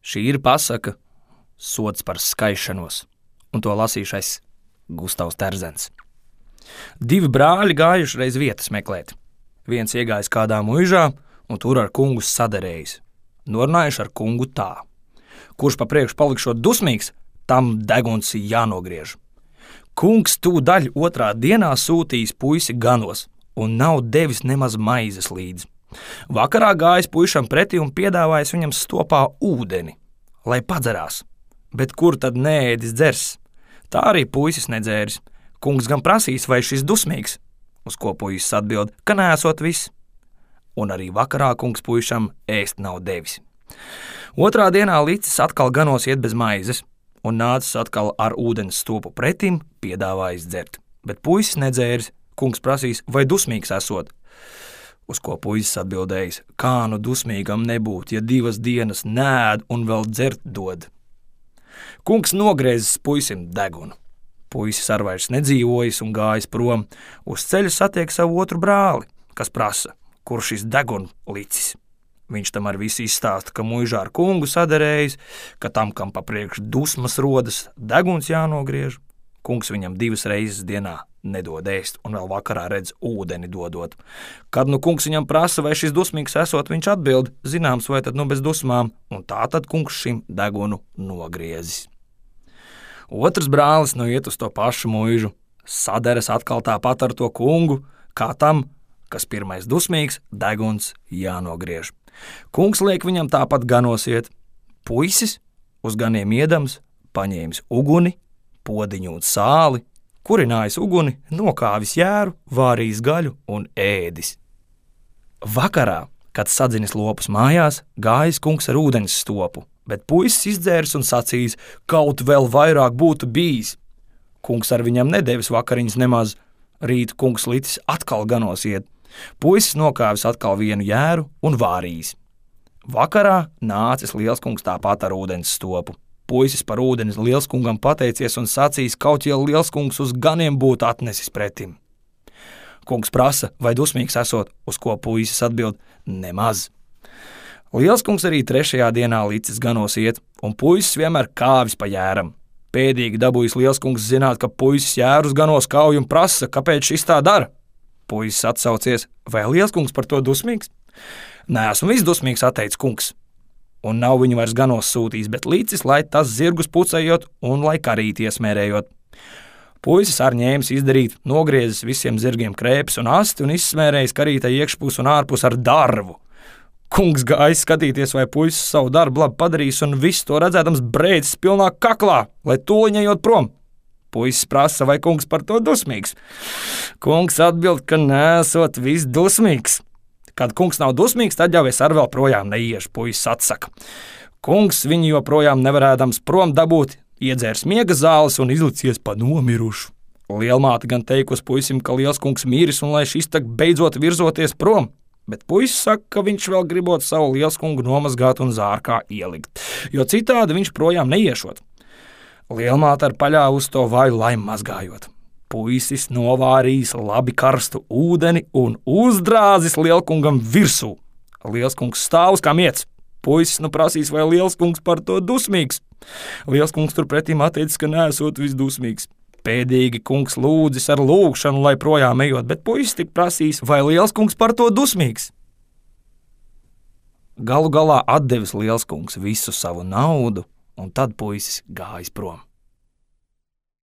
Šī ir pasaka Sods par skaišanos, un to lasīšais Gustavs Terzens. Divi brāļi gājuši reiz vietas meklēt. Viens iegājis kādā muižā, un tur ar kungu saderējis. Norunājuši ar kungu tā: kurš pa priekšu palikšot dusmīgs, tam deguns jānogriež. Kungs tūdaļ otrā dienā sūtījis puisi ganos, un nav devis nemaz maizes līdzi. Vakarā gājis puišam pretī un piedāvājis viņam stopā ūdeni, lai padzerās. Bet kur tad neēdis dzers? Tā arī puisis nedzēris. Kungs gan prasīs, vai šis dusmīgs, uz ko puisis atbild, ka neesot viss. Un arī vakarā kungs puišam ēst nav devis. Otrā dienā licis atkal ganos iet bez maizes, un nācis atkal ar ūdens stopu pretim, piedāvājis dzert. Bet puisis nedzēris, kungs prasīs, vai dusmīgs esot. Uz ko puisis atbildējis, kā nu dusmīgam nebūt, ja 2 dienas nēd un vēl dzert dod. Kungs nogriezis puisim degunu. Puisis ar vairs nedzīvojis un gājis prom. Uz ceļa satiek savu otru brāli, kas prasa, kur šis degunu licis. Viņš tam ar visu izstāsta, ka muižā ar kungu saderējis, ka tam, kam pa priekšu dusmas rodas, deguns jānogriež. Kungs viņam 2 reizes dienā nedod ēst, un vēl vakarā redz ūdeni dodot. Kad nu kungs viņam prasa, vai šis dusmīgs esot, viņš atbild, zināms, vai tad nu bez dusmām, un tā tad kungs šim degunu nogriezis. Otrs brālis nu iet uz to pašu muižu, saderas atkal tāpat ar to kungu, kā tam, kas pirmais dusmīgs, deguns jānogriež. Kungs liek viņam tāpat ganos iet. Puisis, uz ganiem iedams, paņēmis uguni, podiņu un sāli, kurinājis uguni, nokāvis jēru, vārījis gaļu un ēdis. Vakarā, kad sadzinis lopus mājās, gājis kungs ar ūdens stopu, bet puisis izdzēris un sacījis, kaut vēl vairāk būtu bijis. Kungs ar viņam nedevis vakariņas nemaz, rīt kungs licis atkal ganos iet. Puisis nokāvis atkal vienu jēru un vārījis. Vakarā nācis lielskungs tāpat ar ūdens stopu. Puisis par ūdeni lielskungam pateicies un sacījis, kaut ja lielskungs uz ganiem būtu atnesis pretim. Kungs prasa, vai dusmīgs esot, uz ko puisis atbild, nemaz. Lielskungs arī 3. dienā licis ganos iet, un puisis vienmēr kāvis pa jēram. Pēdīgi dabūjis lielskungs zināt, ka puisis jērus ganos kauj un prasa, kāpēc šis tā dara. Puisis atsaucies, vai lielskungs par to dusmīgs? Neesmu viss dusmīgs, atteicis kungs. Un nav viņu vairs ganos sūtījis, bet licis, lai tas zirgus pucējot un lai karīt iesmērējot. Puisis ar ņēmis izdarīt, nogriezis visiem zirgiem krēpes un asti un izsmērējis karītai iekšpus un ārpus ar darvu. Kungs gājis skatīties, vai puisis savu darbu labi padarījis, un viss to redzēdams brēcis pilnā kaklā, lai tūliņējot prom. Puisis prasa, vai kungs par to dusmīgs. Kungs atbild, ka nesot viss dusmīgs. Kad kungs nav dusmīgs, tad jau es ar vēl projām neiešu, puisis atsaka. Kungs viņu joprojām nevarēdams prom dabūt, iedzērs miega zāles un izlicies pa nomirušu. Lielmāte gan teikusi puisim, ka lielskungs miris un lai šis tak beidzot virzoties prom, bet puisis saka, ka viņš vēl gribot savu lielskungu nomazgāt un zārkā ielikt, jo citādi viņš projām neiešot. Lielmāte ar paļāvu uz to vaju laimu mazgājot. Puisis novārījis labi karstu ūdeni un uzdrāzis lielkungam virsū. Lielskungs stāvus kā miets. Puisis nu prasīs, vai lielskungs par to dusmīgs. Lielskungs turpretīm atteicis, ka neesot visdusmīgs. Pēdīgi kungs lūdzis ar lūgšanu, lai projām ejot, bet puisis tik prasīs, vai lielskungs par to dusmīgs. Galu galā atdevis lielskungs visu savu naudu, un tad puisis gājis prom.